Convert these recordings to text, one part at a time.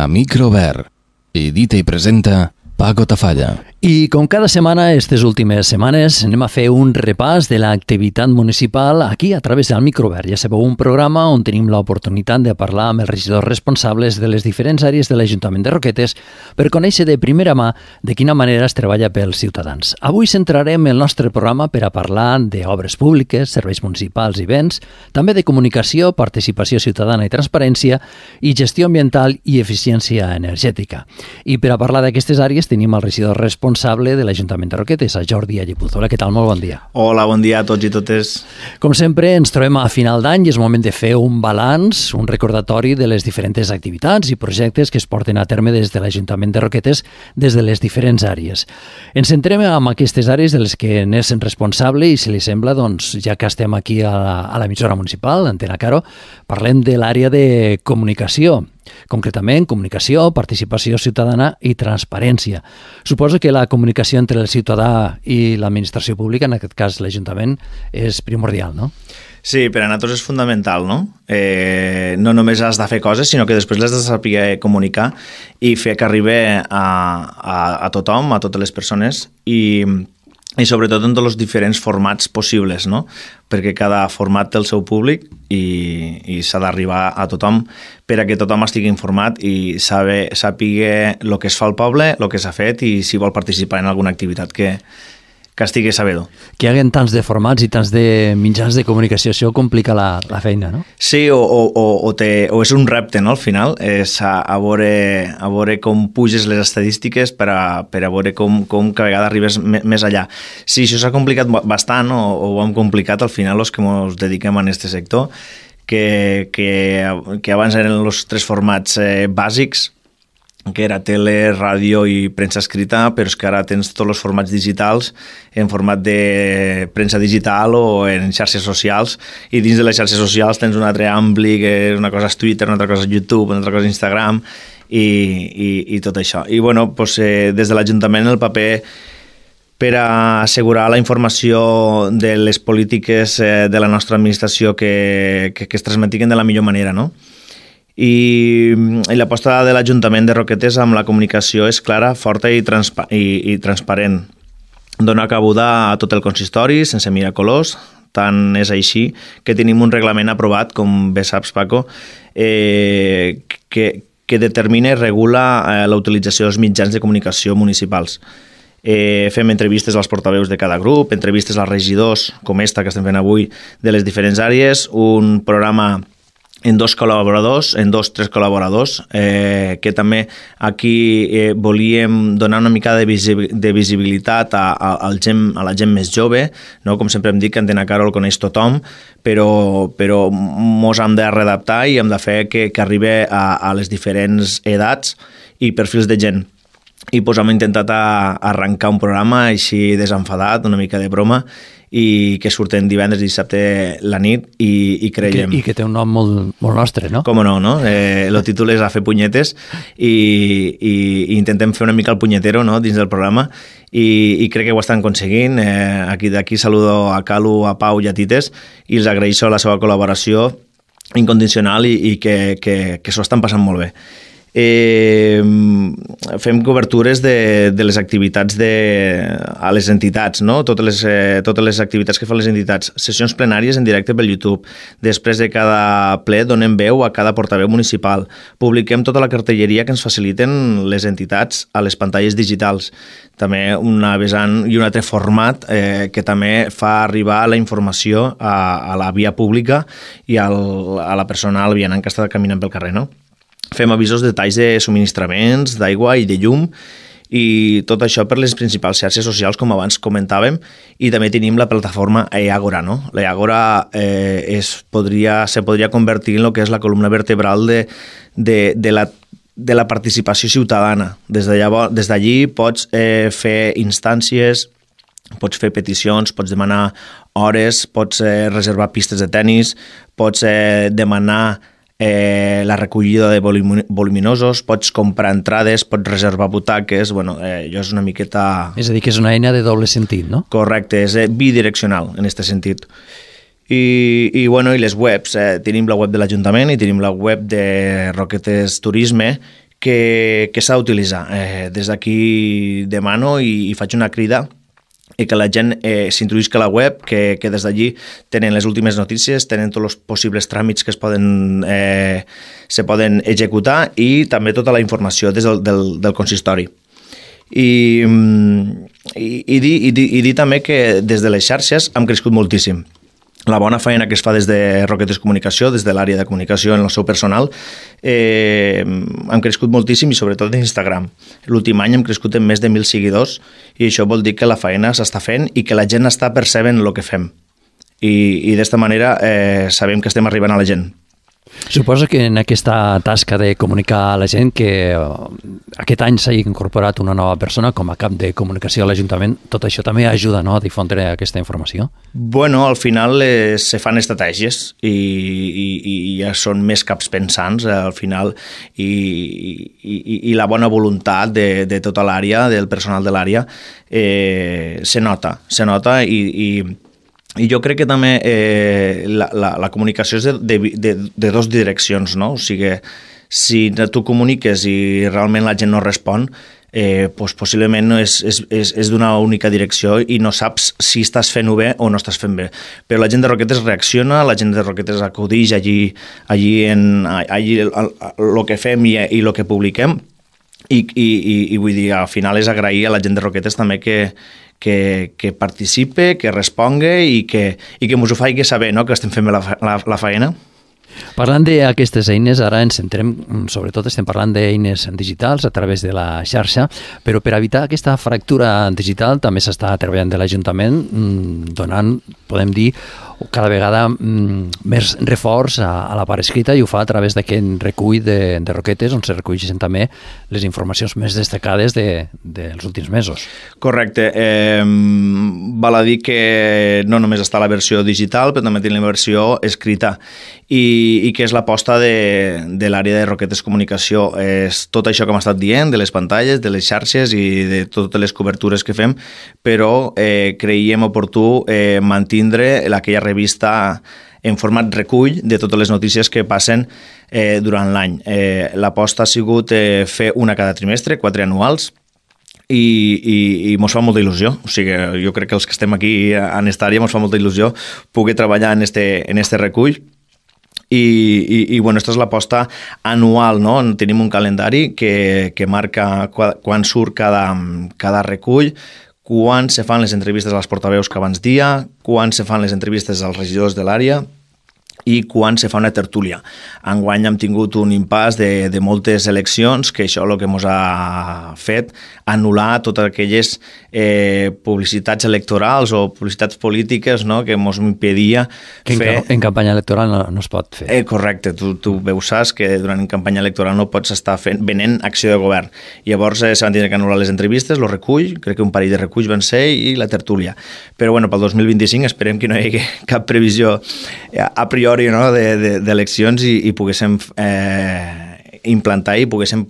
A Microvert. Edita i presenta Paco Tafalla. I com cada setmana, aquestes últimes setmanes, anem a fer un repàs de l'activitat municipal aquí a través del Microvert. Ja sabeu, un programa on tenim l'oportunitat de parlar amb els regidors responsables de les diferents àrees de l'Ajuntament de Roquetes per conèixer de primera mà de quina manera es treballa pels ciutadans. Avui centrarem el nostre programa per a parlar d'obres públiques, serveis municipals i béns, també de comunicació, participació ciutadana i transparència i gestió ambiental i eficiència energètica. I per a parlar d'aquestes àrees tenim el regidor responsable de l'Ajuntament de Roquetes, a Jordi Allepuz. Hola, què tal? Molt bon dia. Hola, bon dia a tots i totes. Com sempre, ens trobem a final d'any i és moment de fer un balanç, un recordatori de les diferents activitats i projectes que es porten a terme des de l'Ajuntament de Roquetes des de les diferents àrees. Ens centrem en aquestes àrees de les que n'és responsable i, si li sembla, doncs, ja que estem aquí a l'emissora municipal, Antena Caro, parlem de l'àrea de comunicació. Concretament, comunicació, participació ciutadana i transparència. Suposo que la comunicació entre el ciutadà i l'administració pública, en aquest cas l'Ajuntament, és primordial, no? Sí, per a nosaltres és fundamental, no? No només has de fer coses, sinó que després les has de saber comunicar i fer que arribi a tothom, a totes les persones i sobretot en tots els diferents formats possibles, no? Perquè cada format té el seu públic i s'ha d'arribar a tothom per a que tothom estigui informat i sàpiga el que es fa al poble, el que s'ha fet i si vol participar en alguna activitat que estigui sabedor. Que hi hagi tants de formats i tants de mitjans de comunicació, això complica la feina, no? Sí, o és un repte, no?, al final, és a veure com puges les estadístiques per a veure com cada vegada arribes més allà. Sí, això s'ha complicat bastant, o ho hem complicat al final els que ens dediquem a aquest sector, que abans eren els tres formats bàsics, que era tele, ràdio i premsa escrita, però és que ara tens tots els formats digitals en format de premsa digital o en xarxes socials, i dins de les xarxes socials tens un altre ampli, que una cosa és Twitter, una altra cosa és YouTube, una altra cosa és Instagram i tot això. I bueno, doncs, des de l'Ajuntament el paper per a assegurar la informació de les polítiques de la nostra administració que es transmetigen de la millor manera, no? I l'aposta de l'Ajuntament de Roquetes amb la comunicació és clara, forta i transparent. Dona cabuda a tot el consistori, sense mirar colors. Tant és així que tenim un reglament aprovat, com bé saps, Paco, que determina i regula la utilització dels mitjans de comunicació municipals. Fem entrevistes als portaveus de cada grup, entrevistes als regidors, com esta que estem fent avui, de les diferents àrees, un programa en tres col·laboradors, que també aquí volíem donar una mica de visibilitat a la gent més jove, no? Com sempre hem dit, que Antena Caro el coneix tothom, però mos hem de readaptar i hem de fer que arribi a les diferents edats i perfils de gent. I doncs hem intentat arrencar un programa així desenfadat, una mica de broma, i que surten divendres i dissabte la nit i creiem... I que té un nom molt nostre, no? Com no, no? El títol és A fer punyetes i intentem fer una mica el punyetero, no?, dins del programa i crec que ho estan aconseguint. D'aquí saludo a Calu, a Pau i a Tites i els agraeixo la seva col·laboració incondicional i que s'ho estan passant molt bé. Fem cobertures de les activitats a les entitats, no? Totes les activitats que fan les entitats, sessions plenàries en directe pel YouTube. Després de cada ple donem veu a cada portaveu municipal. Publiquem tota la cartelleria que ens faciliten les entitats a les pantalles digitals. També una vessant i un altre format que també fa arribar la informació a la via pública i a la persona, al vianant que està caminant pel carrer, no? Fem avisos de talls de subministraments, d'aigua i de llum, i tot això per les principals xarxes socials, com abans comentàvem, i també tenim la plataforma eAgora, no? L'eAgora se podria convertir en el que és la columna vertebral de la participació ciutadana. Des d'allí pots fer instàncies, pots fer peticions, pots demanar hores, pots reservar pistes de tennis, pots demanar la recollida de voluminosos, pots comprar entrades, pots reservar butaques, bueno, jo és una miqueta... És a dir, que és una eina de doble sentit, no? Correcte, és bidireccional en aquest sentit. I les webs, tenim la web de l'Ajuntament i tenim la web de Roquetes Turisme, que s'ha d'utilitzar. Des d'aquí demano i faig una crida i que la gent s'introduïsca a la web, que des d'allí tenen les últimes notícies, tenen tots els possibles tràmits que se poden executar i també tota la informació des del consistori. I dir també que des de les xarxes hem crescut moltíssim. La bona feina que es fa des de Roquetes Comunicació, des de l'àrea de comunicació en el seu personal, hem crescut moltíssim i sobretot en Instagram. L'últim any hem crescut en més de 1.000 seguidors i això vol dir que la feina s'està fent i que la gent està percebent el que fem. I d'esta manera sabem que estem arribant a la gent. Suposo que en aquesta tasca de comunicar a la gent que aquest any s'ha incorporat una nova persona com a cap de comunicació a l'Ajuntament, tot això també ajuda, no?, a difondre aquesta informació? Bueno, al final se fan estratègies i ja són més caps pensants al final i la bona voluntat de tota l'àrea, del personal de l'àrea, se nota i jo crec que també la comunicació és de dues direccions, no? O sigui, si tu comuniques i realment la gent no respon, doncs possiblement és d'una única direcció i no saps si estàs fent-ho bé o no estàs fent bé. Però la gent de Roquetes reacciona, la gent de Roquetes acudix allí el que fem i el que publiquem i vull dir, al final és agrair a la gent de Roquetes també que participe, que responga i que ens ho faci saber, no?, que estem fent bé la feina. Parlant d'aquestes eines, ara ens centrem, sobretot estem parlant d'eines digitals a través de la xarxa, però per evitar aquesta fractura digital també s'està treballant de l'Ajuntament donant, podem dir, cada vegada més reforç a la part escrita i ho fa a través d'aquest recull de Roquetes on se reculleixen també les informacions més destacades dels últims mesos. Correcte. Val a dir que no només està la versió digital, però també tenim la versió escrita i que és l'aposta de l'àrea de Roquetes Comunicació. És tot això que hem estat dient, de les pantalles, de les xarxes i de totes les cobertures que fem, però creiem oportú mantindre aquella revista en format recull de totes les notícies que passen durant l'any. L'aposta ha sigut fer una cada trimestre, 4 anuals, i mos fa molta il·lusió. O sigui, jo crec que els que estem aquí en esta àrea mos fa molta il·lusió poder treballar en este recull. I bueno, aquesta és l'aposta anual, no? Tenim un calendari que marca quan surt cada recull, quan se fan les entrevistes als portaveus que abans dia, quan se fan les entrevistes als regidors de l'àrea i quan se fa una tertúlia. Enguany hem tingut un impàs de moltes eleccions, que això el que ens ha fet anul·lar totes aquelles publicitats electorals o publicitats polítiques, no?, que ens impedia fer... En campanya electoral no es pot fer. Correcte, tu saps que durant campanya electoral no pots estar venent acció de govern. Llavors se van tenir que anul·lar les entrevistes, el recull, crec que un parell de reculls van ser, i la tertúlia. Però bueno, pel 2025 esperem que no hi hagi cap previsió a priori, no?, d'eleccions i poguéssim implantar i poguéssim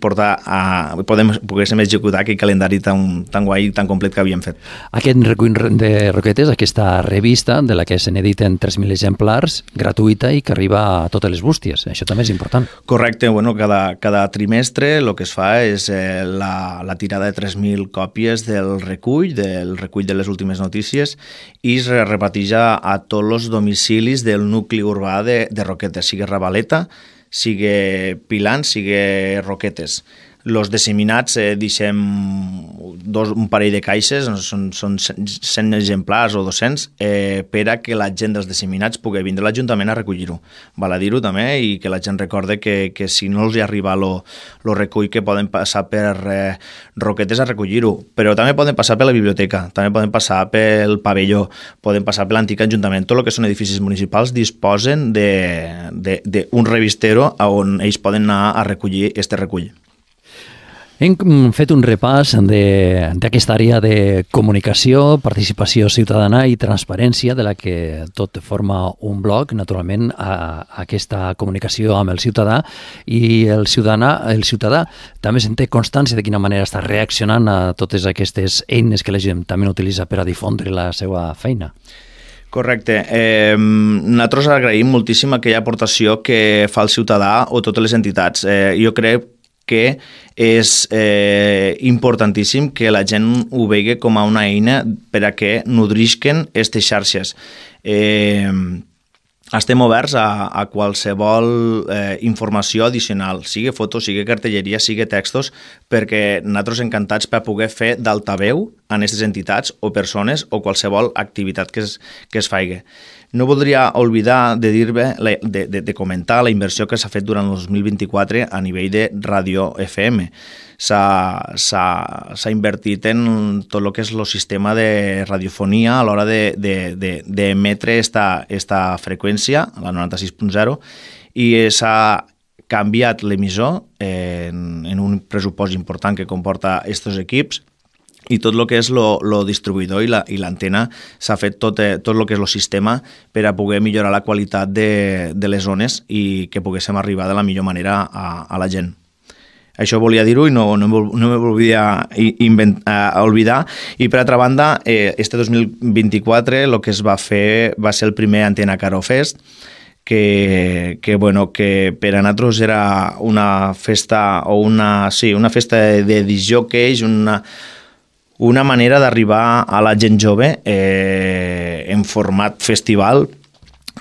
executar aquell calendari tan guai i tan complet que havíem fet. Aquest recull de Roquetes, aquesta revista de la que se n'editen 3.000 exemplars, gratuïta i que arriba a totes les bústies. Això també és important. Correcte. Bueno, cada trimestre el que es fa és la tirada de 3.000 còpies del recull de les últimes notícies i es repartija a tots els domicilis del nucli urbà de Roquetes, sigui Ravaleta, sigui Pilant, sigui Roquetes. Los disseminats deixem un parell de caixes, són 100 exemplars o 200, per a que la gent dels disseminats pugui vindre a l'Ajuntament a recollir-ho. Val a dir-ho també i que la gent recorde que si no els hi arriba el recull que poden passar per Roquetes a recollir-ho, però també poden passar per la biblioteca, també poden passar pel pavelló, poden passar per l'antic Ajuntament. Tot el que són edificis municipals disposen d'un revistero on ells poden anar a recollir este recull. Hem fet un repàs d'aquesta àrea de comunicació, participació ciutadana i transparència, de la que tot forma un bloc, naturalment, aquesta comunicació amb el ciutadà, i el ciutadà també se'n té constància de quina manera està reaccionant a totes aquestes eines que la gent també utilitza per a difondre la seva feina. Correcte. Nosaltres agraïm moltíssim aquella aportació que fa el ciutadà o totes les entitats. Jo crec que és importantíssim que la gent ho vegi com a una eina per a que nodrisquen aquestes xarxes. Estem oberts a qualsevol informació addicional, sigui fotos, sigui cartelleria, sigui textos, perquè nosaltres encantats per poder fer d'altaveu en aquestes entitats o persones o qualsevol activitat que es faci. No voldria oblidar de dir-me, de comentar la inversió que s'ha fet durant el 2024 a nivell de ràdio FM. S'ha invertit en tot el que és el sistema de radiofonia a l'hora d'emetre esta freqüència, la 96.0, i s'ha canviat l'emissor en un pressupost important que comporta aquests equips, i tot el que és el distribuïdor i l'antena s'ha fet tot el que és el sistema per a poder millorar la qualitat de les zones i que poguéssim arribar de la millor manera a la gent. Això volia dir-ho i no me volia oblidar. I per altra banda, este 2024 el que es va fer va ser el primer Antena Caro Fest, que per a nosaltres era una festa una festa de discjòqueis, una manera d'arribar a la gent jove en format festival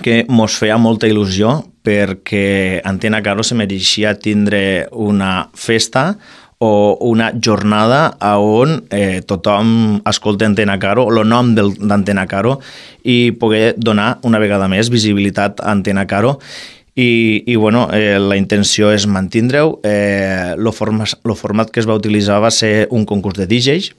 que mos feia molta il·lusió, perquè Antena Caro se mereixia tindre una festa o una jornada on tothom escolta Antena Caro, el nom d'Antena Caro, i poder donar una vegada més visibilitat a Antena Caro. La intenció és mantindre-ho. El format que es va utilitzar va ser un concurs de DJs,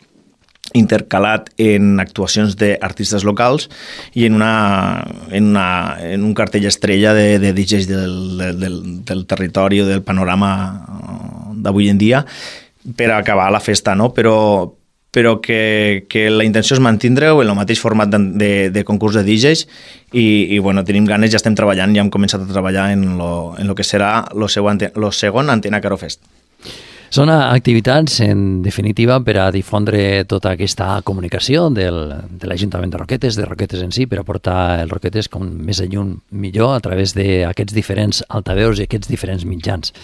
intercalat en actuacions d'artistes locals i en un cartell estrella de DJs del territori o del panorama d'avui en dia per acabar la festa, no? Però que la intenció és mantindre-ho en el mateix format de concurs de DJs i tenim ganes, ja estem treballant, ja hem començat a treballar en lo que serà el segon Antena Caro Fest. Són activitats, en definitiva, per a difondre tota aquesta comunicació de l'Ajuntament de Roquetes, de Roquetes en si, per a portar els Roquetes com més a lluny millor a través d'aquests diferents altaveus i aquests diferents mitjans.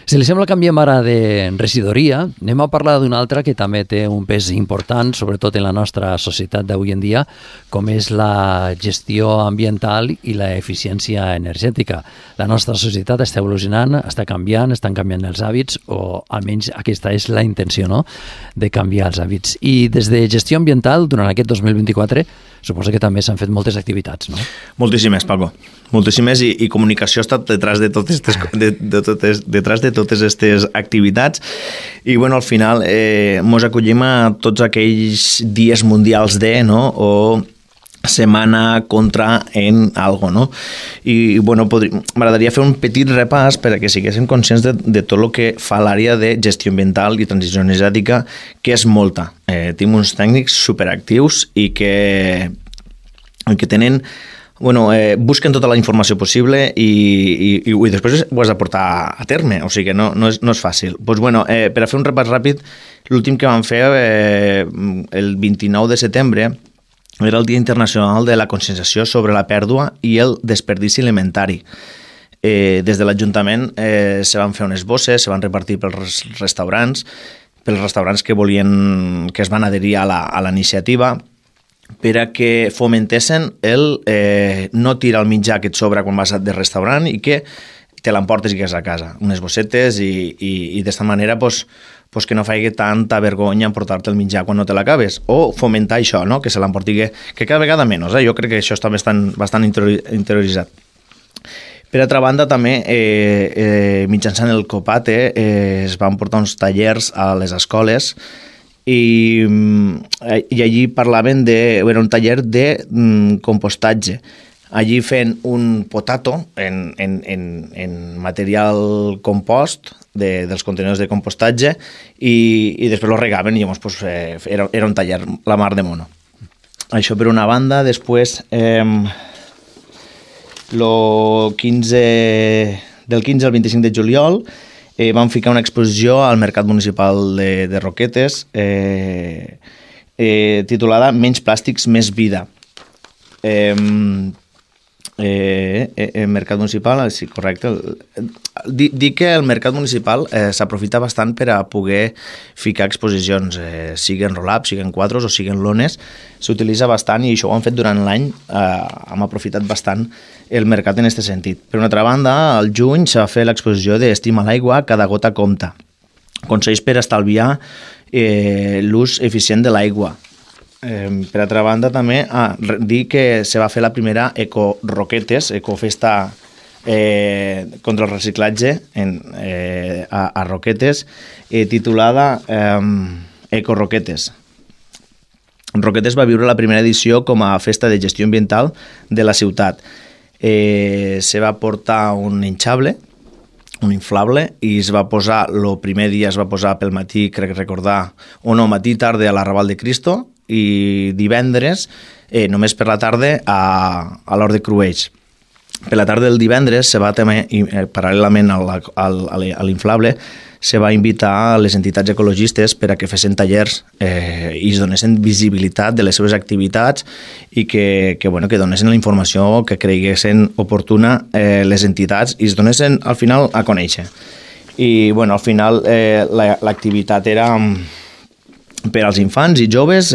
Si li sembla, canviem ara de regidoria. Anem a parlar d'una altra que també té un pes important, sobretot en la nostra societat d'avui en dia, com és la gestió ambiental i l'eficiència energètica. La nostra societat està evolucionant, està canviant, estan canviant els hàbits, o almenys aquesta és la intenció, no?, de canviar els hàbits. I des de gestió ambiental, durant aquest 2024, suposo que també s'han fet moltes activitats, no? Moltíssimes, Paco. Moltíssimes, i comunicació ha estat detrás de totes aquestes activitats. I, al final, mos acollim a tots aquells dies mundials no?, o setmana contra en algo, no? I, m'agradaria fer un petit repàs per a que siguéssim conscients de tot el que fa l'àrea de gestió ambiental i transició energètica, que és molta. Tenim uns tècnics superactius i que tenen... busquen tota la informació possible i després ho has de portar a terme, o sigui que no és fàcil. Per a fer un repàs ràpid, l'últim que vam fer el 29 de setembre era el Dia Internacional de la Conscienciació sobre la Pèrdua i el Desperdici Alimentari. Des de l'Ajuntament se van fer unes bosses, se van repartir pels restaurants que es van adherir a la iniciativa, per a que fomentessin el no tirar el menjar que et sobra quan vas de restaurant i que te l'emportes i que és a casa. Unes bossetes i d'esta manera que no faci tanta vergonya en portar-te el menjar quan no te l'acabes. O fomentar això, no?, que se l'emporti, que cada vegada menys. Jo crec que això està bastant interioritzat. Per altra banda, també, mitjançant el COPATE, es van portar uns tallers a les escoles i allí parlaven era un taller de compostatge. Allí fent un potato en material compost dels contenidors de compostatge i després lo regaven i llavors era un taller la mar de mono. Això per una banda. Després del 15 al 25 de juliol vam ficar una exposició al Mercat Municipal de Roquetes titulada Menys plàstics, més vida. el mercat municipal, sí, correcte. Dic que el mercat municipal s'aprofita bastant per a poder ficar exposicions, siguin roll-ups, siguin quadros o siguin lones, s'utilitza bastant i això ho han fet durant l'any, hem aprofitat bastant el mercat en aquest sentit. Per una altra banda, al juny s'ha fet l'exposició d'Estima l'aigua, cada gota compta. Consells per estalviar l'ús eficient de l'aigua. Per altra banda també dir que se va fer la primera Eco-Roquetes, Ecofesta contra el reciclatge a Roquetes, titulada Eco-Roquetes. Roquetes va viure la primera edició com a festa de gestió ambiental de la ciutat. Se va portar un hinchable, un inflable, i es va posar, el primer dia es va posar pel matí, crec recordar, o no, matí tarda a l'Arrabal de Cristo, i divendres, només per la tarda, a l'Hort de Cruells. Per la tarda del divendres, se va també, paral·lelament a l'inflable, se va invitar a les entitats ecologistes per a que fessin tallers i es donessin visibilitat de les seves activitats i que donessin la informació que creguessin oportuna les entitats i es donessin al final a conèixer. I al final l'activitat era per als infants i joves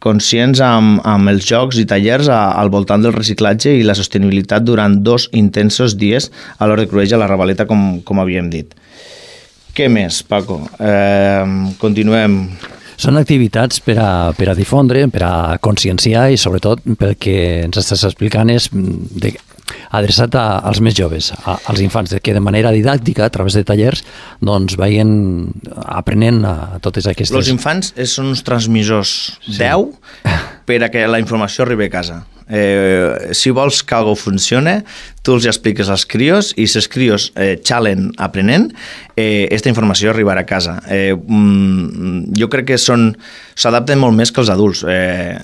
conscients amb els jocs i tallers al voltant del reciclatge i la sostenibilitat durant 2 intensos dies a l'Hort de Cruells a la Ravaleta, com havíem dit. Què més, Paco? Continuem. Són activitats per a difondre, per a conscienciar i sobretot pel que ens estàs explicant és adreçat als més joves, als infants, que de manera didàctica, a través de tallers, doncs vagin aprenent a totes aquestes... Els infants són uns transmissors 10 per a que la informació arribi a casa. Si vols que alguna cosa funcione, tu els expliques als crios i si els crios xalen aprenent, aquesta informació arribarà a casa. Jo crec que s'adapten molt més que els adults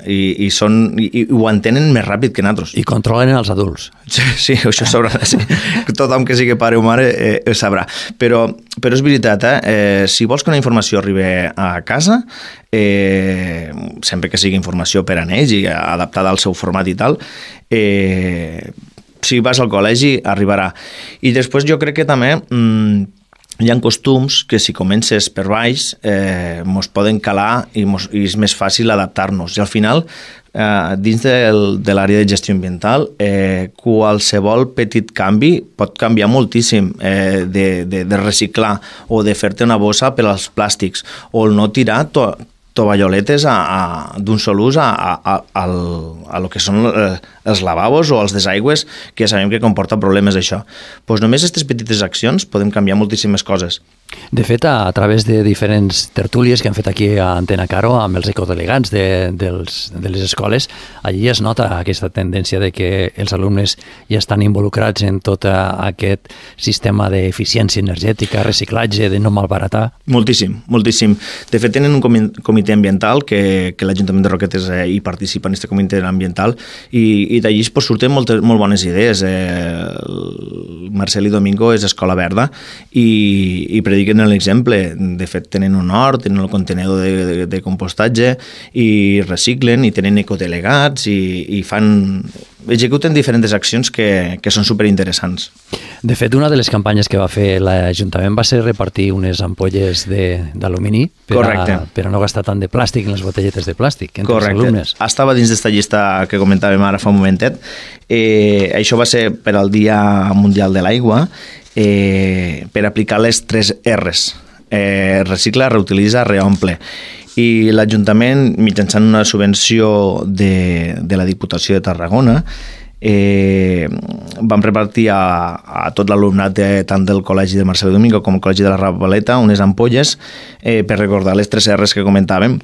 i ho entenen més ràpid que nosaltres. I controlen els adults. Sí, això sabrà. Sí. Tothom que sigui pare o mare ho sabrà. Però és veritat, si vols que una informació arribi a casa, sempre que sigui informació per a ells i adaptada al seu format i tal, si vas al col·legi arribarà. I després jo crec que també hi ha costums que si comences per baix mos poden calar i és més fàcil adaptar-nos. I al final, dins de l'àrea de gestió ambiental, qualsevol petit canvi pot canviar moltíssim de reciclar o de fer-te una bossa per als plàstics o el no tirar tovalloletes d'un sol ús a lo que són els lavabos o els desaigües, que ja sabem que comporta problemes això. Doncs només aquestes petites accions podem canviar moltíssimes coses. De fet, a través de diferents tertúlies que han fet aquí a Antena Caro amb els ecodelegats de les escoles, allí es nota aquesta tendència de que els alumnes ja estan involucrats en tot aquest sistema d'eficiència energètica, reciclatge, de no malbaratar. Moltíssim, moltíssim. De fet, tenen un comitè ambiental que l'Ajuntament de Roquetes hi participa en aquest comitè ambiental i d'allí surten molt bones idees. Marcel i Domingo és Escola Verda i prediquen l'exemple. De fet, tenen un hort, tenen el contenedor de compostatge i reciclen i tenen ecodelegats i executen diferents accions que són superinteressants. De fet, una de les campanyes que va fer l'Ajuntament va ser repartir unes ampolles d'alumini per a no gastar tant de plàstic en les botelletes de plàstic entre els alumnes. Estava dins d'esta llista que comentàvem ara fa un momentet. Això va ser per al Dia Mundial de l'Aigua per aplicar les 3 R's. Recicla, reutilitza, reomple. I l'Ajuntament, mitjançant una subvenció de la Diputació de Tarragona, vam repartir a tot l'alumnat tant del Col·legi de Marcel i Domingo com el Col·legi de la Ravaleta unes ampolles per recordar les 3 R's que comentàvem.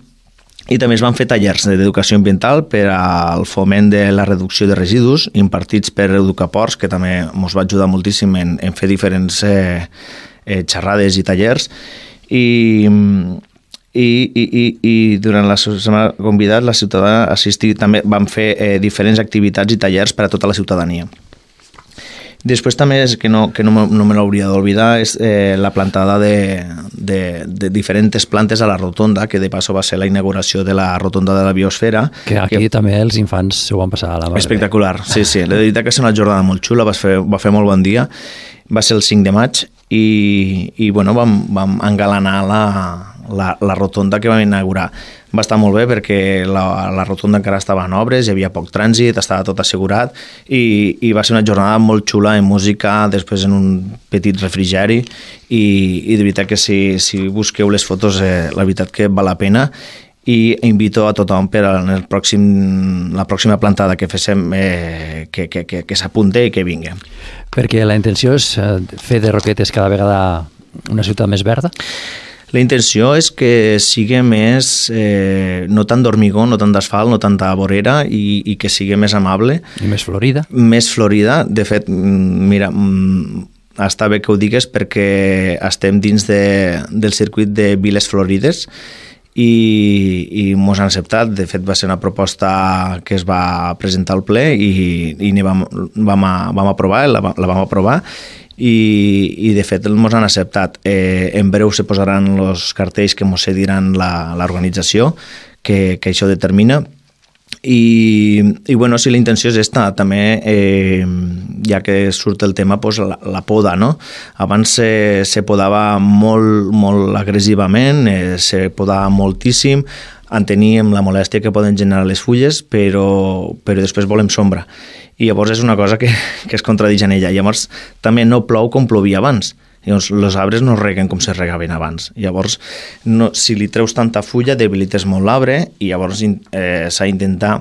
I també es van fer tallers d'educació ambiental per al foment de la reducció de residus impartits per Educaports, que també ens va ajudar moltíssim en fer diferents xerrades i tallers. I durant la setmana convidat la ciutadana assistir, també van fer diferents activitats i tallers per a tota la ciutadania. Després també, és que no me l'hauria d'oblidar, és la plantada de diferents plantes a la rotonda, que de passo va ser la inauguració de la rotonda de la biosfera. Que aquí també els infants s'ho van passar a la mar. Espectacular, sí. La veritat que és una jornada molt xula, va fer molt bon dia. Va ser el 5 de maig i bueno, vam engalanar la rotonda que vam inaugurar. Va estar molt bé perquè la rotonda encara estava en obres, hi havia poc trànsit, estava tot assegurat i va ser una jornada molt xula en música, després en un petit refrigeri i de veritat que si busqueu les fotos, la veritat que val la pena i invito a tothom per a la pròxima plantada que féssim que s'apunte i que vingui. Perquè la intenció és fer de Roquetes cada vegada una ciutat més verda? La intenció és que sigui més, no tant d'hormigó, no tant d'asfalt, no tanta vorera i que sigui més amable. I més florida? Més florida. De fet, mira, està bé que ho digues perquè estem dins del circuit de Viles Florides i mos han acceptat. De fet, va ser una proposta que es va presentar al ple i vam aprovar, la vam aprovar i de fet ens han acceptat. En breu se posaran els cartells que ens cediran l'organització que això determina i bueno, si la intenció és esta també, ja que surt el tema, pues la poda, no? Abans se podava molt agressivament, se podava moltíssim, enteníem la molèstia que poden generar les fulles, però després volem sombra. I llavors és una cosa que es contradix en ella. Llavors també no plou com plovia abans. Llavors els arbres no reguen com se regaven abans. Llavors, si li treus tanta fulla, debilites molt l'arbre i llavors s'ha d'intentar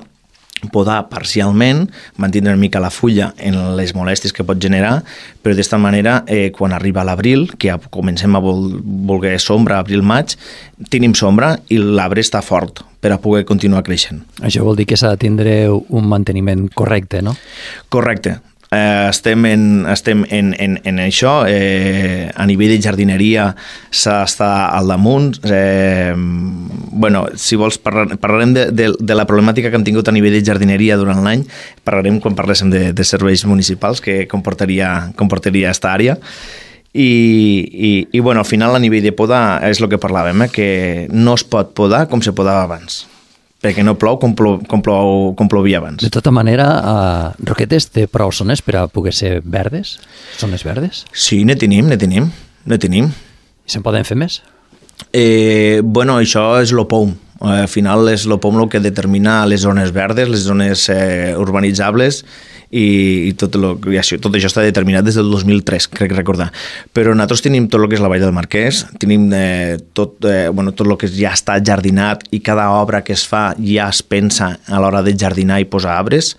podar parcialment, mantenir una mica la fulla en les molèsties que pot generar, però d'esta manera, quan arriba l'abril, que ja comencem a voler sombra, abril-maig, tenim sombra i l'arbre està fort per a poder continuar creixent. Això vol dir que s'ha de tindre un manteniment correcte, no? Correcte. Estem en això. A nivell de jardineria s'ha d'estar al damunt. Bueno, si vols parlarem de la problemàtica que hem tingut a nivell de jardineria durant l'any, parlarem quan parléssim de serveis municipals que comportaria esta àrea. I bueno, al final a nivell de poda és el que parlàvem, que no es pot podar com se podava abans, perquè no plou com plovia abans. De tota manera, Roquetes té prou zones per a poder ser verdes? Zones verdes? Sí, ne tenim. I se'n poden fer més? Bueno, això és l'OPOM. Al final és l'OPOM el que determina les zones verdes, les zones urbanitzables i tot això està determinat des del 2003, crec recordar. Però nosaltres tenim tot el que és la Vall del Marquès, tenim tot el que ja està jardinat i cada obra que es fa ja es pensa a l'hora de jardinar i posar arbres.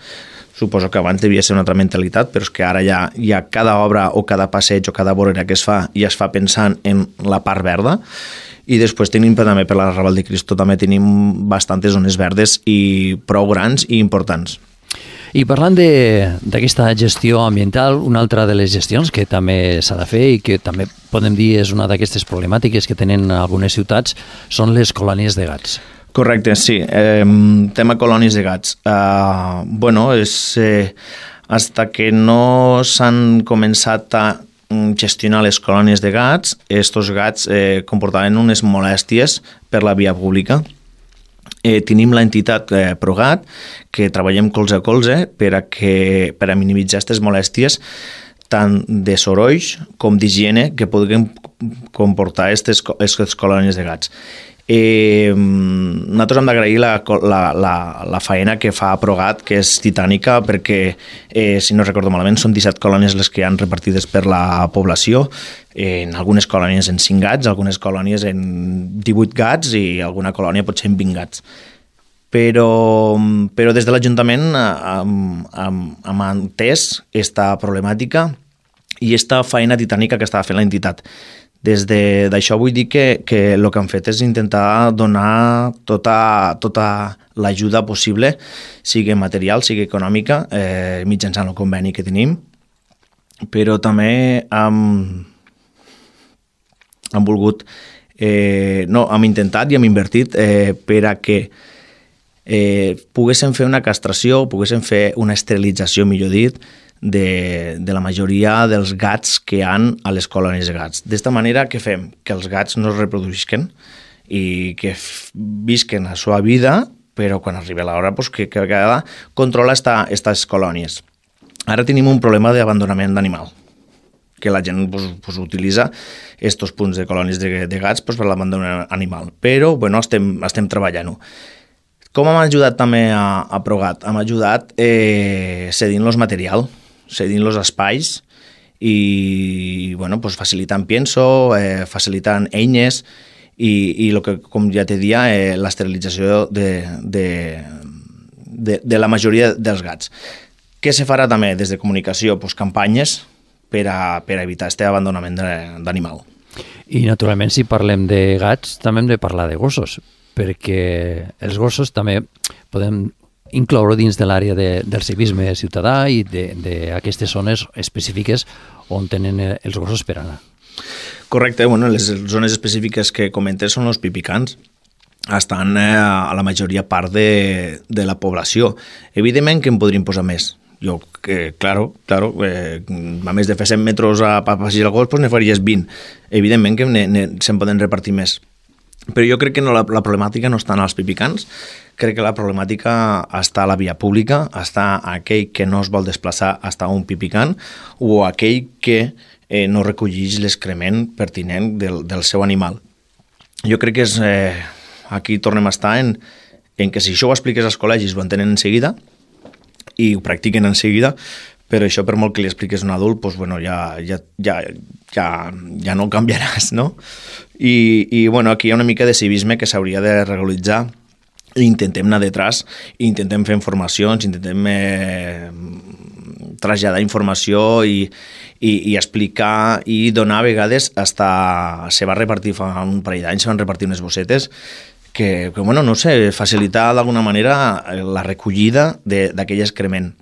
Suposo que abans devia ser una altra mentalitat, però és que ara ja cada obra o cada passeig o cada vorera que es fa ja es fa pensant en la part verda. I després tenim també per la Raval de Cristo també tenim bastantes zones verdes i prou grans i importants. I parlant d'aquesta gestió ambiental, una altra de les gestions que també s'ha de fer i que també podem dir és una d'aquestes problemàtiques que tenen algunes ciutats són les colònies de gats. Correcte, sí. Tema colònies de gats. Bueno, hasta que no s'han començat a gestionar les colònies de gats, estos gats comportaven unes molèsties per la via pública. Tenim l'entitat ProGat, que treballem colze a colze per a minimitzar aquestes molèsties tant de sorolls com d'higiene que podrien comportar aquestes colònies de gats. Nosaltres hem d'agrair la feina que fa ProGat, que és titànica, perquè, si no recordo malament, són 17 colònies les que hi han repartides per la població, en algunes colònies en 5 gats, algunes colònies en 18 gats i alguna colònia potser en 20 gats. Però des de l'Ajuntament hem entès aquesta problemàtica i aquesta feina titànica que estava fent l'entitat. Des d'això vull dir que el que han fet és intentar donar tota l'ajuda possible, sigui material, sigui econòmica, mitjançant el conveni que tenim, però també hem volgut, hem intentat i hem invertit per a que poguessin fer una castració, poguessin fer una esterilització, millor dit, de la majoria dels gats que hi ha a les colònies de gats. D'esta manera, què fem? Que els gats no es reproduïsquen i que visquen la seva vida, però quan arriba l'hora pues, que cada controla aquestes colònies. Ara tenim un problema d'abandonament d'animal, que la gent pues, utilitza aquests punts de colònies de gats pues, per l'abandonament animal, però bueno, estem treballant-ho. Com hem ajudat també a Progat? Hem ajudat cedint-los material, cedint-los espais i bueno, pues, facilitant pienso, facilitant eines i lo que, com ja te dia, l'esterilització de la majoria dels gats. Què se farà també des de comunicació? Pues, campanyes per a evitar aquest abandonament d'animal. I naturalment si parlem de gats també hem de parlar de gossos, perquè els gossos també podem incloure dins de l'àrea del civisme ciutadà i d'aquestes zones específiques on tenen els gossos per anar. Correcte, bueno, les zones específiques que comentes són els pipicans. Estan a la majoria part de la població. Evidentment que en podríem posar més. Jo, claro, a més de fer 100 metres a passejar el gos, doncs ne faries 20. Evidentment que se'n poden repartir més. Però jo crec que no, la problemàtica no està en els pipicans, crec que la problemàtica està a la via pública, està aquell que no es vol desplaçar hasta un pipicant o aquell que no recolleix l'excrement pertinent del seu animal. Jo crec que aquí tornem a estar en que si això ho expliques als col·legis ho entenen en seguida i ho practiquen en seguida, però això per molt que li expliques a un adult, doncs, bueno, ja no canviaràs, no? I bueno, aquí hi ha una mica de civisme que s'hauria de regularitzar i intentem anar detrás, intentem fer informacions, intentem traslladar informació i explicar i donar a vegades se va repartir fa un parell d'anys, se van repartir unes bossetes que bueno, no sé, facilitar d'alguna manera la recollida d'aquell excrement.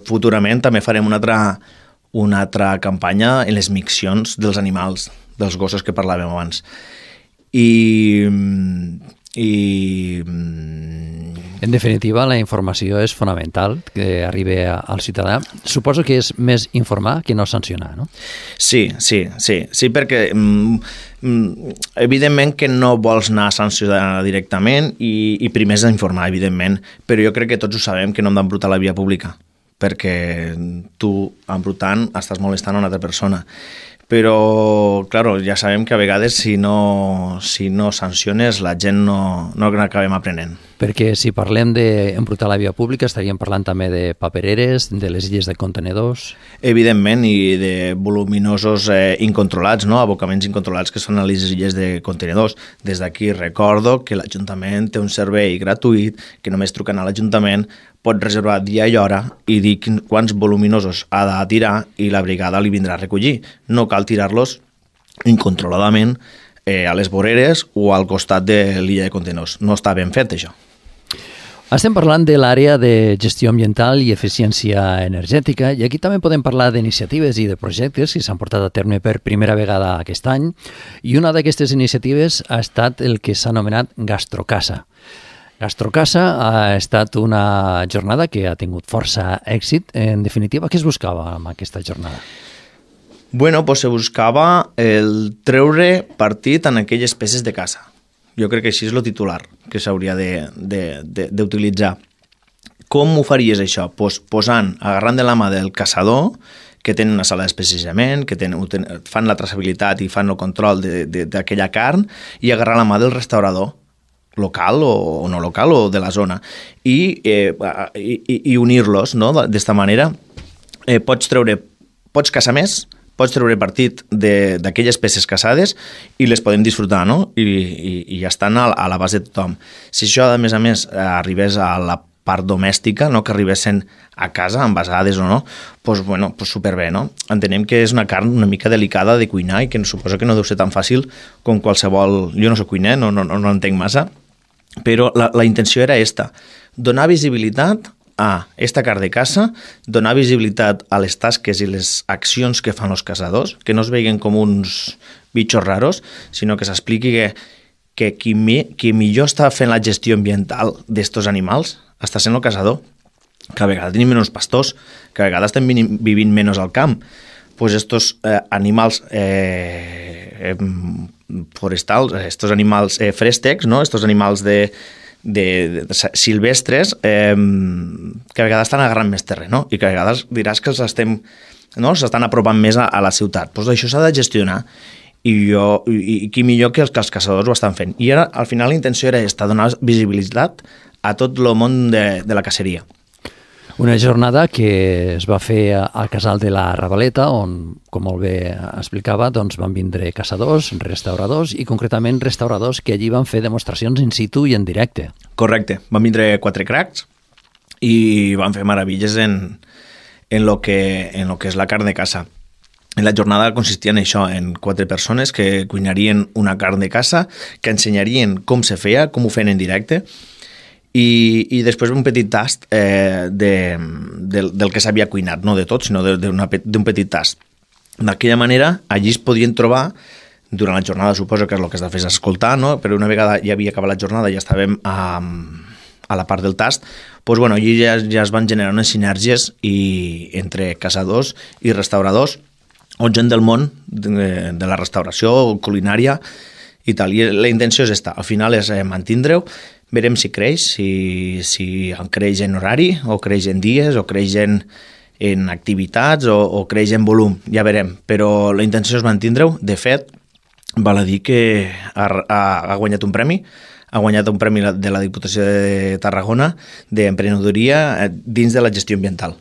Futurament també farem una altra campanya en les miccions dels animals, dels gossos que parlàvem abans. En definitiva, la informació és fonamental que arribi al ciutadà. Suposo que és més informar que no sancionar, no? Sí, perquè evidentment que no vols anar a sancionar directament i primer és informar, evidentment, però jo crec que tots ho sabem que no hem d'embrutar la via pública, perquè tu, embrutant, estàs molestant a una altra persona. Però, claro, ja sabem que a vegades si no sanciones la gent no acabem aprenent. Perquè si parlem d'embrutar la via pública estaríem parlant també de papereres, de les illes de contenedors... Evidentment, i de voluminosos incontrolats, no? Abocaments incontrolats que són a les illes de contenedors. Des d'aquí recordo que l'Ajuntament té un servei gratuït que només trucant a l'Ajuntament pot reservar dia i hora i dir quants voluminosos ha de tirar i la brigada li vindrà a recollir. No cal tirar-los incontroladament a les voreres o al costat de l'illa de contenedors. No està ben fet, això. Estem parlant de l'àrea de gestió ambiental i eficiència energètica i aquí també podem parlar d'iniciatives i de projectes que s'han portat a terme per primera vegada aquest any i una d'aquestes iniciatives ha estat el que s'ha anomenat Gastrocasa. Gastrocasa ha estat una jornada que ha tingut força èxit. En definitiva, què es buscava amb aquesta jornada? Bueno, pues se buscava el treure partit en aquelles peces de caça. Jo crec que així és el titular que s'hauria d'utilitzar. Com ho faries això? Pues agarrant de la mà del caçador, que tenen una sala d'especiament, que fan la traçabilitat i fan el control d'aquella carn, i agarrar la mà del restaurador, local o no local, o de la zona, i unir-los, no? D'esta manera pots caçar més, pots treure partit d'aquelles peces caçades i les podem disfrutar, no? I ja estan a l'abast de tothom. Si això, a més, arribés a la part domèstica, no? Que arribessin a casa, envasades o no, doncs, bueno, superbé, no? Entenem que és una carn una mica delicada de cuinar i que suposo que no deu ser tan fàcil com qualsevol... Jo no soc cuiner, no entenc massa, però la intenció era esta, donar visibilitat a esta carn de caça, donar visibilitat a les tasques i les accions que fan els caçadors, que no es veien com uns bitxos raros, sinó que s'expliqui que qui millor està fent la gestió ambiental d'estos animals està sent el caçador, que a vegades tenim menys pastors, que a vegades estem vivint menys al camp. Pues estos animals forestals, estos animals fréstecs, no? Estos animals de silvestres que a vegades estan agarrant més terreny, no? I que a vegades diràs que s'estan apropant més a la ciutat. Pues això s'ha de gestionar i qui millor que els caçadors ho estan fent. I ara, al final, la intenció era donar visibilitat a tot el món de la caceria. Una jornada que es va fer al casal de la Ravaleta, on, com molt bé explicava, doncs van vindre caçadors, restauradors i concretament restauradors que allí van fer demostracions in situ i en directe. Correcte. Van vindre 4 cracs i van fer meravilles en lo que és la carn de caça. En la jornada consistia en això, en 4 persones que cuinarien una carn de caça, que ensenyarien com se feia, com ho feien en directe, i després un petit tast del que s'havia cuinat, no de tot, sinó d'un petit tast. D'aquella manera, allí es podien trobar, durant la jornada suposo que és el que es de fer escoltar, no? Però una vegada ja havia acabat la jornada i ja estàvem a la part del tast, doncs, bueno, allí ja es van generar unes sinergies entre caçadors i restauradors, o gent del món de la restauració, culinària i tal. I la intenció és esta, al final és mantindre-ho. Verem si creix, si creix en horari, o creix en dies, o creix en activitats, o creix en volum, ja verem. Però la intenció és mantindre-ho. De fet, val a dir que ha guanyat un premi, de la Diputació de Tarragona d'emprenedoria dins de la gestió ambiental.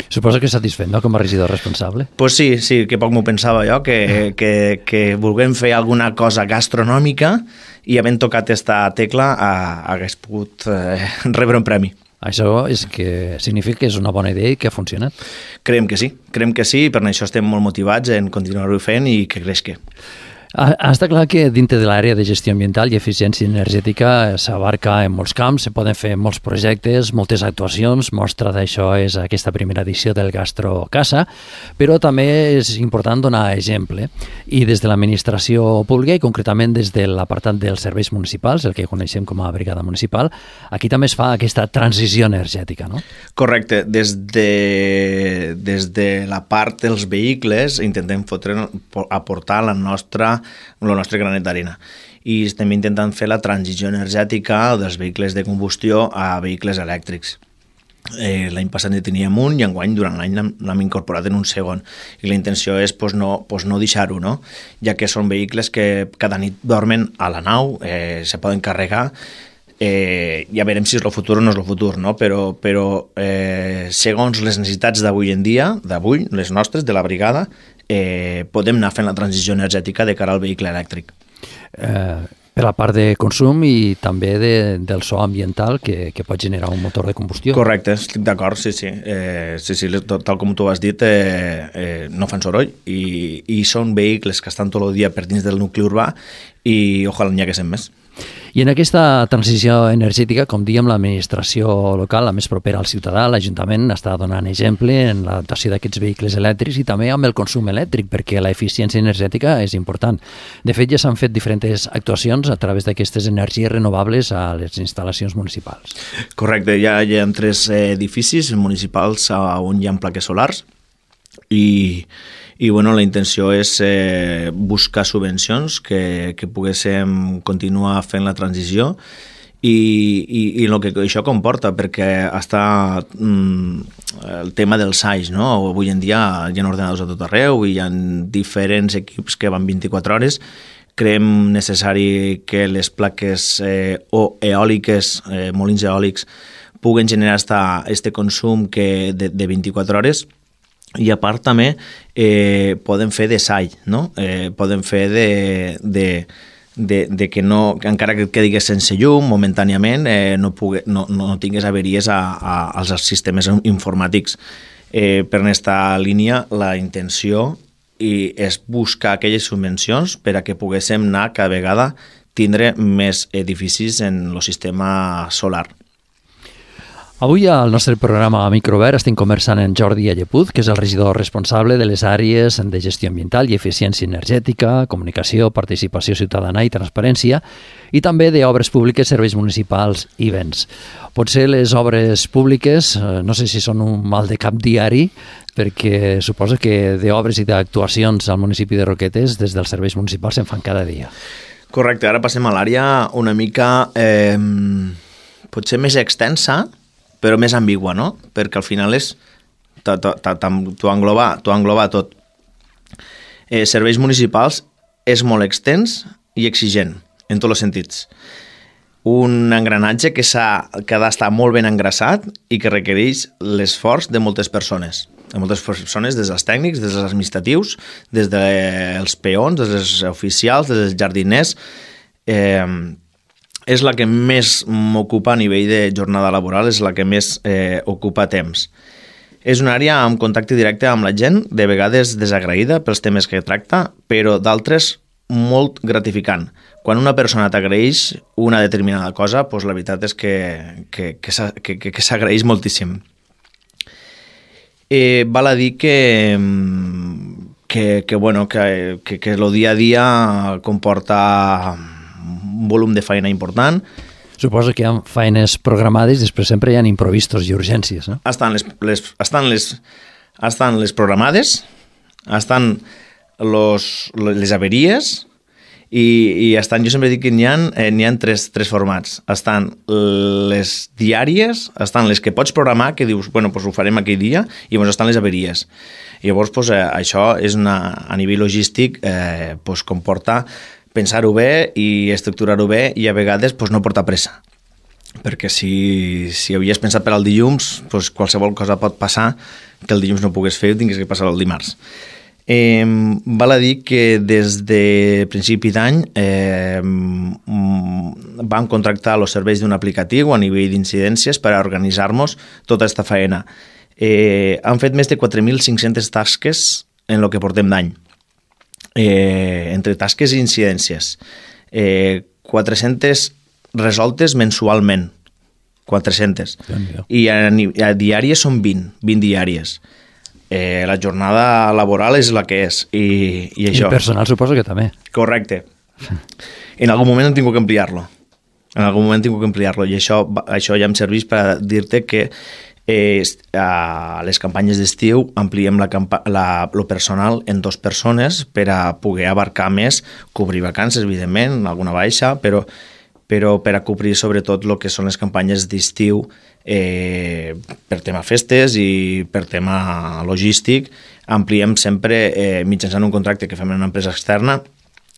Suposo que satisfet, no?, com a regidor responsable. Pues sí, que poc m'ho pensava jo, que volguem fer alguna cosa gastronòmica i havent tocat esta tecla hagués pogut rebre un premi. Això és que significa que és una bona idea i que ha funcionat. Creiem que sí, i per això estem molt motivats en continuar-ho fent i que creixi. Està clar que dintre de l'àrea de gestió ambiental i eficiència energètica s'abarca en molts camps, se poden fer molts projectes, moltes actuacions, mostra d'això és aquesta primera edició del Gastrocasa, però també és important donar exemple. I des de l'administració pública i concretament des de l'apartat dels serveis municipals, el que coneixem com a brigada municipal, aquí també es fa aquesta transició energètica, no? Correcte. Des de la part dels vehicles intentem aportar el nostre granet d'arena. I estem intentant fer la transició energètica dels vehicles de combustió a vehicles elèctrics. L'any passat en teníem un i enguany durant l'any l'hem incorporat en un segon. I la intenció és no deixar-ho, no? Ja que són vehicles que cada nit dormen a la nau, se poden carregar. Ja veurem si és el futur o no és el futur, no? Però segons les necessitats d'avui en dia, les nostres, de la brigada, podem anar fent la transició energètica de cara al vehicle elèctric. Per la part de consum i també del so ambiental que pot generar un motor de combustió. Correcte, estic d'acord, sí. Tal com tu has dit, no fan soroll i són vehicles que estan tot el dia per dins del nucli urbà i ojalà n'hi haguessin més. I en aquesta transició energètica, com dèiem, l'administració local, la més propera al ciutadà, l'Ajuntament està donant exemple en l'adaptació d'aquests vehicles elèctrics i també amb el consum elèctric, perquè l'eficiència energètica és important. De fet, ja s'han fet diferents actuacions a través d'aquestes energies renovables a les instal·lacions municipals. Correcte, hi ha 3 edificis municipals on hi ha plaques solars i bueno, la intenció és buscar subvencions que poguéssim continuar fent la transició i el que això comporta, perquè està el tema dels SAIs, no? Avui en dia hi ha ordenadors a tot arreu i hi ha diferents equips que van 24 hores. Creiem necessari que les plaques o eòliques, molins eòlics, puguen generar este consum de 24 hores. I a part també poden fer de SAI, no? Poden fer de que no, encara que et quedis sense llum momentàniament, no tinguis averies als sistemes informàtics. Per aquesta línia, la intenció és buscar aquelles subvencions per a que poguéssim anar cada vegada tindre més edificis en el sistema solar. Avui al nostre programa Microvert estem conversant amb Jordi Allepuz, que és el regidor responsable de les àrees de gestió ambiental i eficiència energètica, comunicació, participació ciutadana i transparència, i també d'obres públiques, serveis municipals i béns. Potser les obres públiques, no sé si són un mal de cap diari, perquè suposo que d'obres i d'actuacions al municipi de Roquetes des dels serveis municipals se'n fan cada dia. Correcte, ara passem a l'àrea una mica potser més extensa, però més ambigua, no? Perquè al final és t'ho engloba tot. Serveis municipals és molt extens i exigent, en tots els sentits. Un engranatge que ha d'estar molt ben engraçat i que requereix l'esforç de moltes persones. Des dels tècnics, des dels administratius, des dels peons, des dels oficials, des dels jardiners. És la que més m'ocupa a nivell de jornada laboral, és la que més ocupa temps. És una àrea amb contacte directe amb la gent, de vegades desagraïda pels temes que tracta, però d'altres molt gratificant. Quan una persona t'agraeix una determinada cosa, doncs la veritat és que s'agraeix moltíssim. Val a dir que el dia a dia comporta un volum de feina important. Suposo que hi ha feines programades i després sempre hi ha imprevistos i urgències, no? Estan les programades, estan les averies i estan, jo sempre dic que n'hi ha tres formats. Estan les diàries, estan les que pots programar, que dius, bueno, doncs ho farem aquell dia, i llavors estan les averies. I llavors això és a nivell logístic comporta pensar-ho bé i estructurar-ho bé i a vegades no porta pressa. Perquè si havies pensat per al dilluns, qualsevol cosa pot passar que el dilluns no pugues fer i tinguis que passar el dimarts. Val a dir que des de principi d'any vam contractar els serveis d'un aplicatiu a nivell d'incidències per a organitzar-nos tota aquesta feina. Han fet més de 4.500 tasques en el que portem d'any. Entre tasques i incidències. 400 resoltes mensualment. 400. I a diàries són 20 diàries. La jornada laboral és la que és. I això. I personal suposo que també. Correcte. En algun moment hem tingut que ampliar-lo. I això ja em serveix per dir-te que a les campanyes d'estiu ampliem el personal en 2 persones per a poder abarcar més, cobrir vacances, evidentment, alguna baixa, però per a cobrir sobretot el que són les campanyes d'estiu per tema festes i per tema logístic. Ampliem sempre mitjançant un contracte que fem en una empresa externa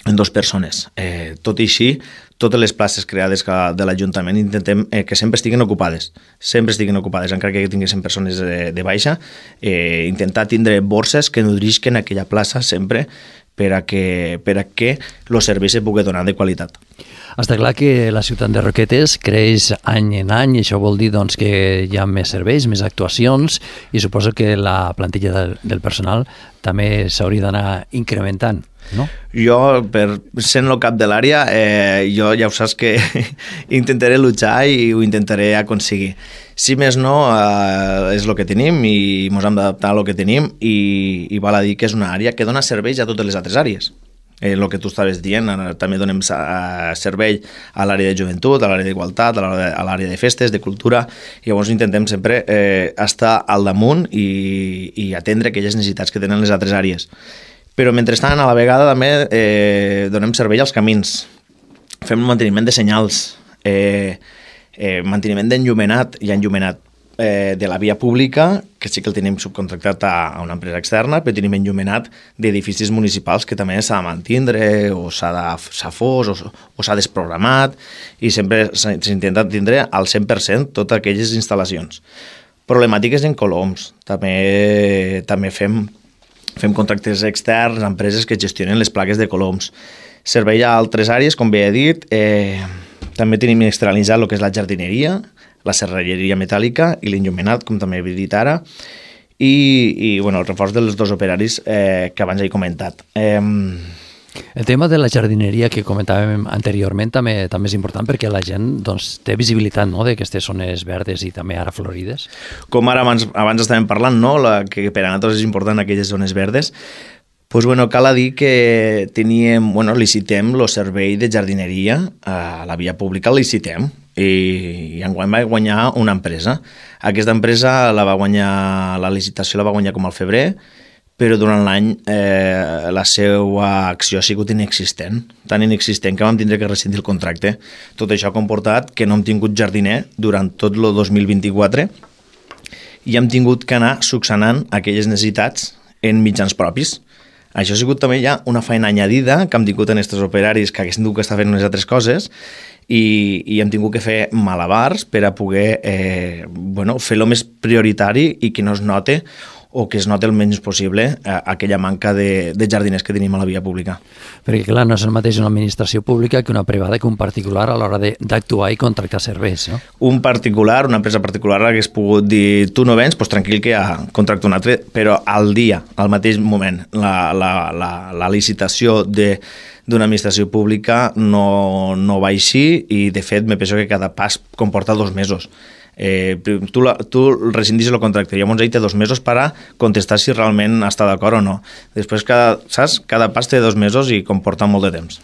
en 2 persones. Tot i així, totes les places creades de l'Ajuntament intentem que sempre estiguin ocupades, encara que tinguessin persones de baixa, intentar tindre borses que nodrisquen aquella plaça sempre per a que el servei se pugui donar de qualitat. Està clar que la ciutat de Roquetes creix any en any i això vol dir doncs, que hi ha més serveis, més actuacions i suposo que la plantilla del personal també s'hauria d'anar incrementant, no? Jo, sent el cap de l'àrea, jo ja ho saps que intentaré luchar i ho intentaré aconseguir. Si més no, és el que tenim i ens hem d'adaptar a el que tenim i val a dir que és una àrea que dona serveis a totes les altres àrees. El que tu estaves dient, també donem servei a l'àrea de joventut, a l'àrea d'igualtat, a l'àrea de festes, de cultura, i llavors intentem sempre estar al damunt i atendre aquelles necessitats que tenen les altres àrees. Però mentrestant, a la vegada també donem servei als camins, fem manteniment de senyals, manteniment d'enllumenat i enllumenat de la via pública, que sí que el tenim subcontractat a una empresa externa, però tenim enllumenat d'edificis municipals que també s'ha de mantindre o s'ha fos o s'ha desprogramat i sempre s'intenta tindre al 100% totes aquelles instal·lacions. Problemàtiques en coloms. També fem contractes externs a empreses que gestionen les plaques de coloms. Servei a altres àrees, com bé he dit. També tenim externalitzat el que és la jardineria, la serralleria metàl·lica i l'enllumenat, com també he dit ara, i el reforç dels 2 operaris que abans he comentat. El tema de la jardineria que comentàvem anteriorment també és important perquè la gent doncs, té visibilitat, no?, d'aquestes zones verdes i també ara florides. Com ara abans estàvem parlant, no?, que per a nosaltres és important aquelles zones verdes. Pues bueno, cal dir que licitem el servei de jardineria a la via pública, el licitem, i enguany va guanyar una empresa. Aquesta empresa la licitació la va guanyar com al febrer, però durant l'any la seva acció ha sigut inexistent, tan inexistent que vam tindre que rescindir el contracte. Tot això ha comportat que no hem tingut jardiner durant tot el 2024 i hem tingut que anar succionant aquelles necessitats en mitjans propis. Això ha sigut també ja una feina añadida que hem tingut en aquests operaris que haguessin tingut que estar fent unes altres coses i hem tingut que fer malabars per a poder fer-lo més prioritari i que no es note o que es noti el menys possible aquella manca de jardiners que tenim a la via pública. Perquè, clar, no és el mateix una administració pública que una privada, que un particular a l'hora d'actuar i contractar serveis, no? Un particular, una empresa particular, hagués pogut dir tu no vens, doncs tranquil que ja contracto un altre, però al mateix moment, la licitació d'una administració pública no va així i, de fet, me penso que cada pas comporta 2 mesos. Tu rescindis el contracte i llavors ell té 2 mesos per a contestar si realment està d'acord o no. Després cada pas té 2 mesos i comporta molt de temps.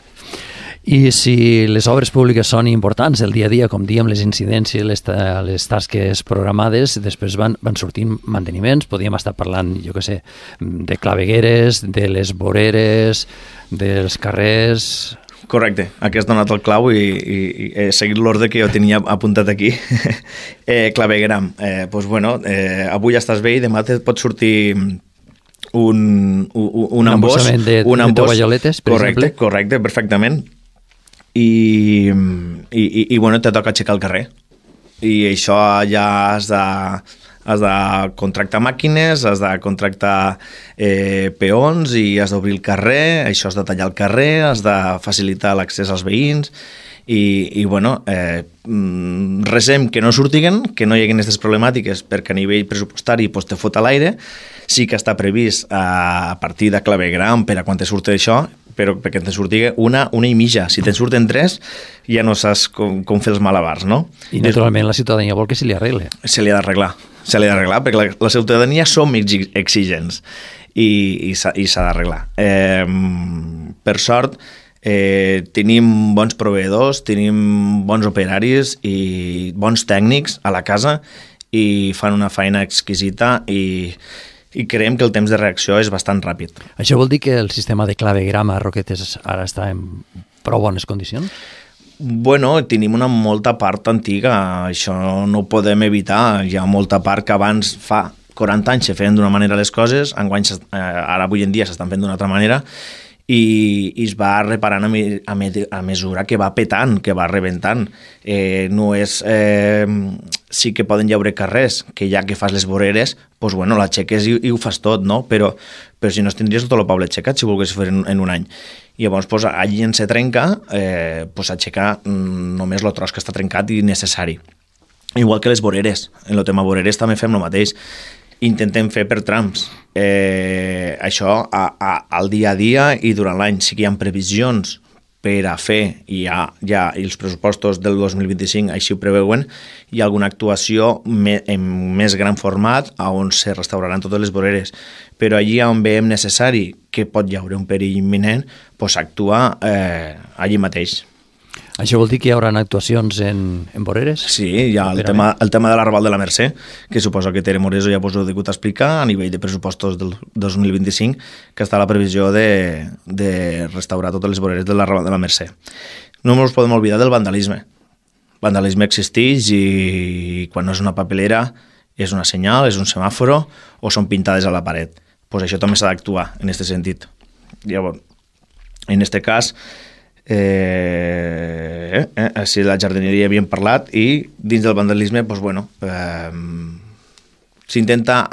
I si les obres públiques són importants, el dia a dia, com diem, les incidències, les tasques programades, després van sortint manteniments, podríem estar parlant, jo què sé, de clavegueres, de les voreres, dels carrers... Correcte, aquí has donat el clau i he seguit l'ordre que jo tenia apuntat aquí. Clavegueram. Avui estàs bé i demà et pot sortir un embòs. De tovalloletes, per exemple. Correcte, perfectament. I te toca aixecar el carrer. I això ja has de contractar màquines, has de contractar peons i has d'obrir el carrer, això has de tallar el carrer, has de facilitar l'accés als veïns i resem que no surtiguen, que no hi hagi aquestes problemàtiques perquè a nivell pressupostari te fot a l'aire. Sí que està previst a partir de clavegram per a quan te surti això, però perquè te surti una i mitja. Si te'n surten 3, ja no saps com fer els malabars, no? I naturalment la ciutadania vol que se li arregle. Se li ha d'arreglar, perquè la ciutadania som exigents i s'ha d'arreglar. Per sort, tenim bons proveïdors, tenim bons operaris i bons tècnics a la casa i fan una feina exquisita i creiem que el temps de reacció és bastant ràpid. Això vol dir que el sistema de clavegram a Roquetes ara està en prou bones condicions? Bueno, tenim una molta part antiga, això no ho podem evitar. Hi ha molta part que abans fa 40 anys se feien d'una manera les coses, ara avui en dia s'estan fent d'una altra manera i es va reparant a mesura que va petant, que va rebentant. No és... sí que poden llaure carrers, que ja que fas les voreres, doncs l'aixeques i ho fas tot, no? Però si no tindries tot el poble aixecat si volgués fer en un any. I llavors, allí en se trenca, aixecar només el tros que està trencat i necessari. Igual que les voreres. En el tema voreres també fem el mateix. Intentem fer per trams. Això al dia a dia i durant l'any. Sí que hi ha previsions per a fer, i els pressupostos del 2025 així ho preveuen, hi ha alguna actuació en més gran format on se restauraran totes les voreres. Però allí on veiem necessari que pot haver un perill imminent, actuar allí mateix. Això vol dir que hi haurà actuacions en voreres? Sí, hi ha el tema de l'Arrabal de la Mercè, que suposo que Tere Moreso ja us ho he degut explicar a nivell de pressupostos del 2025, que està la previsió de restaurar totes les voreres de l'Arrabal de la Mercè. No ens podem oblidar del vandalisme. El vandalisme existeix i quan no és una papelera és una senyal, és un semàforo o són pintades a la paret. Pues això també s'ha d'actuar en aquest sentit. Llavors, en aquest cas, si la jardineria havíem parlat i dins del vandalisme s'intenta...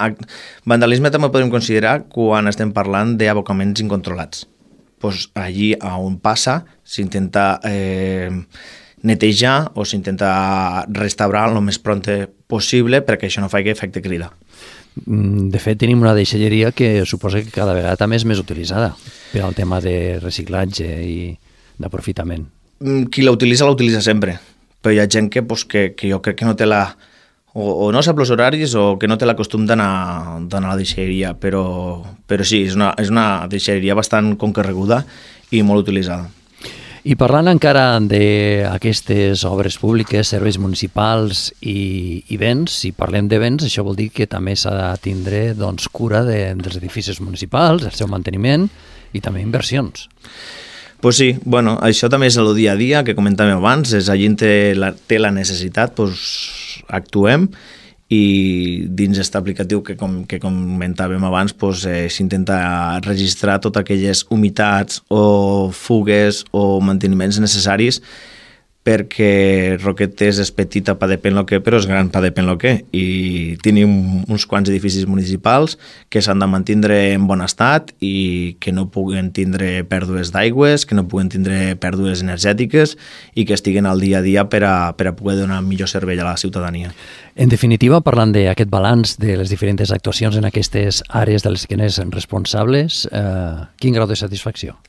Vandalisme també podem considerar quan estem parlant d'abocaments incontrolats. Allí on passa s'intenta netejar o s'intenta restaurar el més pront possible perquè això no faci efecte crida. De fet, tenim una deixalleria que suposa que cada vegada també és més utilitzada per al tema de reciclatge i d'aprofitament. Qui la utilitza sempre, però hi ha gent que jo crec que no té o no sap els horaris o que no té la costum d'anar a la deixalleria, però sí, és una deixalleria bastant concorreguda i molt utilitzada. I parlant encara d'aquestes obres públiques, serveis municipals i béns, si parlem de béns, això vol dir que també s'ha de tindre cura dels edificis municipals, el seu manteniment i també inversions. Pues sí, bueno, això també és el dia a dia que comentàvem abans, la gent té la necessitat, pues actuem, i dins aquest aplicatiu que comentàvem abans s'intenta registrar totes aquelles humitats o fugues o manteniments necessaris, perquè Roquetes és petita pa depèn lo que, però és gran pa depèn lo que, i tenim uns quants edificis municipals que s'han de mantindre en bon estat i que no puguen tindre pèrdues d'aigües, que no puguen tindre pèrdues energètiques i que estiguen al dia a dia per a poder donar millor servei a la ciutadania. En definitiva, parlant d'aquest balanç de les diferents actuacions en aquestes àrees de les que n'és responsables, quin grau de satisfacció?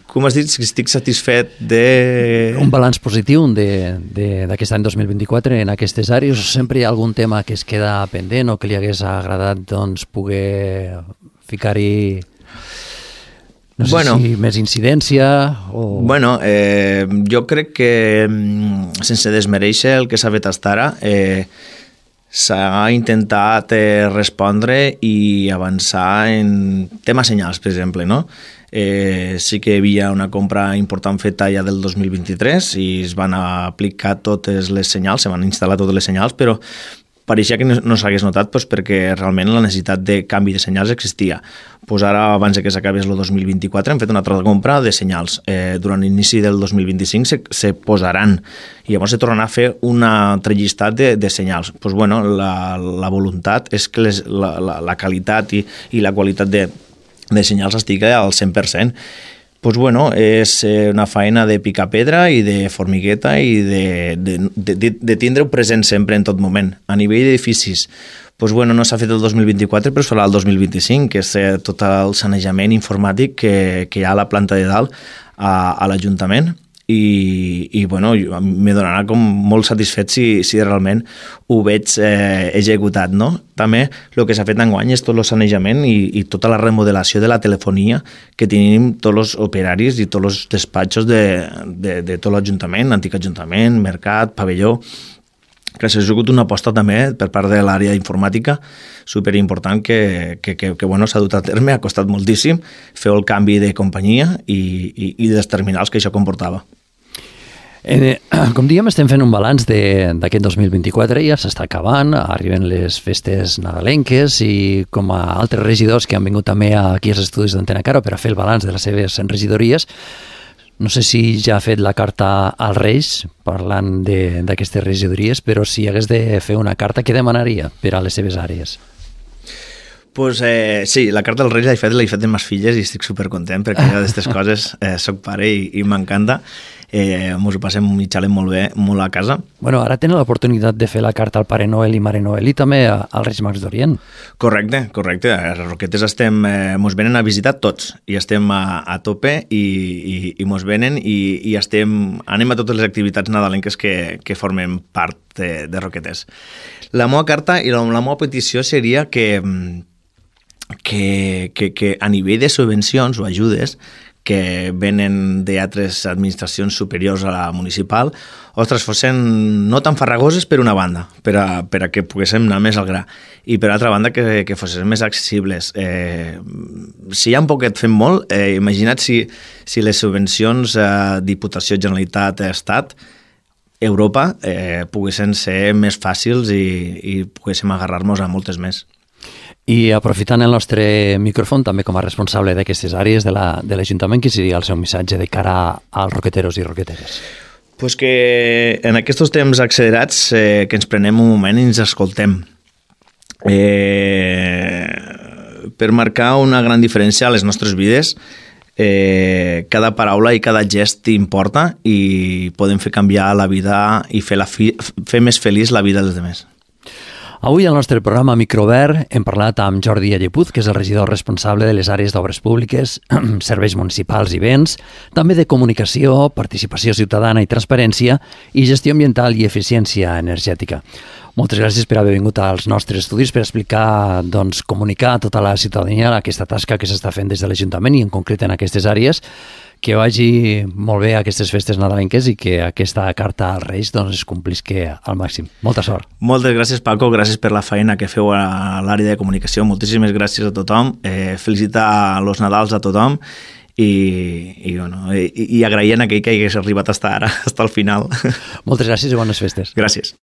Com has dit, estic satisfet de... Un balanç positiu d'aquest any 2024 en aquestes àrees, o sempre hi ha algun tema que es queda pendent o que li hagués agradat poder ficar-hi si més incidència o... Bueno, jo crec que sense desmereixer el que s'ha fet fins ara, s'ha intentat respondre i avançar en temes senyals, per exemple, no? Sí que hi havia una compra important feta ja del 2023 i es van aplicar totes les senyals, se van instal·lar totes les senyals, però pareixia que no s'hagués notat perquè realment la necessitat de canvi de senyals existia. Ara, abans que s'acabés el 2024, hem fet una altra compra de senyals. Durant l'inici del 2025 se posaran i llavors se tornarà a fer un altre llistat de senyals. La voluntat és que la qualitat i la qualitat de senyals estigui al 100%. És una feina de picar pedra i de formigueta i de tindre-ho present sempre en tot moment. A nivell d'edificis, no s'ha fet el 2024, però es farà el 2025, que és tot el sanejament informàtic que hi ha a la planta de dalt a l'Ajuntament. I me donarà com molt satisfet si realment ho veig executat, no? També el que s'ha fet enguany és tot el sanejament i tota la remodelació de la telefonia que tenim tots els operaris i tots els despatxos de tot l'Ajuntament, antic Ajuntament, mercat, pavelló, que s'ha sigut una aposta també per part de l'àrea informàtica superimportant que s'ha dut a terme, ha costat moltíssim fer el canvi de companyia i dels terminals que això comportava. Com diem, estem fent un balanç d'aquest 2024, ja s'està acabant, arriben les festes nadalenques i com a altres regidors que han vingut també aquí als estudis d'Antena Caro per a fer el balanç de les seves regidories, no sé si ja ha fet la carta als Reis parlant d'aquestes regidories, però si hagués de fer una carta, què demanaria per a les seves àrees? Sí, la carta als Reis l'he fet amb les filles i estic supercontent perquè d'aquestes coses soc pare i m'encanta. Ens ho passem i xalem molt bé, molt a casa. Ara tenen l'oportunitat de fer la carta al Pare Noel i Mare Noel i també als Reis Mags d'Orient. Correcte. A Roquetes ens venen a visitar tots i estem a tope i ens venen i anem a totes les activitats nadalenques que formen part de Roquetes. La meva carta i la meva petició seria que a nivell de subvencions o ajudes que venen d'altres administracions superiors a la municipal, fossin no tan farragoses per una banda, per a que poguéssim anar més al gra, i per altra banda que fossin més accessibles. Si ja un poquet fem molt, imagina't si les subvencions Diputació, Generalitat, Estat, Europa, poguessin ser més fàcils i poguéssim agarrar-nos a moltes més. I aprofitant el nostre micròfon, també com a responsable d'aquestes àrees de l'Ajuntament, quin seria el seu missatge de cara als roqueteros i roqueteres? Que en aquests temps accelerats que ens prenem un moment i ens escoltem. Per marcar una gran diferència a les nostres vides, cada paraula i cada gest importa i podem fer canviar la vida i fer més feliç la vida dels altres. Avui al nostre programa Microobert hem parlat amb Jordi Allepuz, que és el regidor responsable de les àrees d'obres públiques, serveis municipals i béns, també de comunicació, participació ciutadana i transparència i gestió ambiental i eficiència energètica. Moltes gràcies per haver vingut als nostres estudis per explicar, doncs, comunicar a tota la ciutadania aquesta tasca que s'està fent des de l'Ajuntament i en concret en aquestes àrees. Que vagi molt bé aquestes festes nadalenques i que aquesta carta als Reis doncs, es complisqui al màxim. Molta sort. Moltes gràcies, Paco. Gràcies per la feina que feu a l'àrea de comunicació. Moltíssimes gràcies a tothom. Felicitar los Nadals a tothom i agraint a aquell que hagués arribat fins ara, fins al final. Moltes gràcies i bones festes. Gràcies.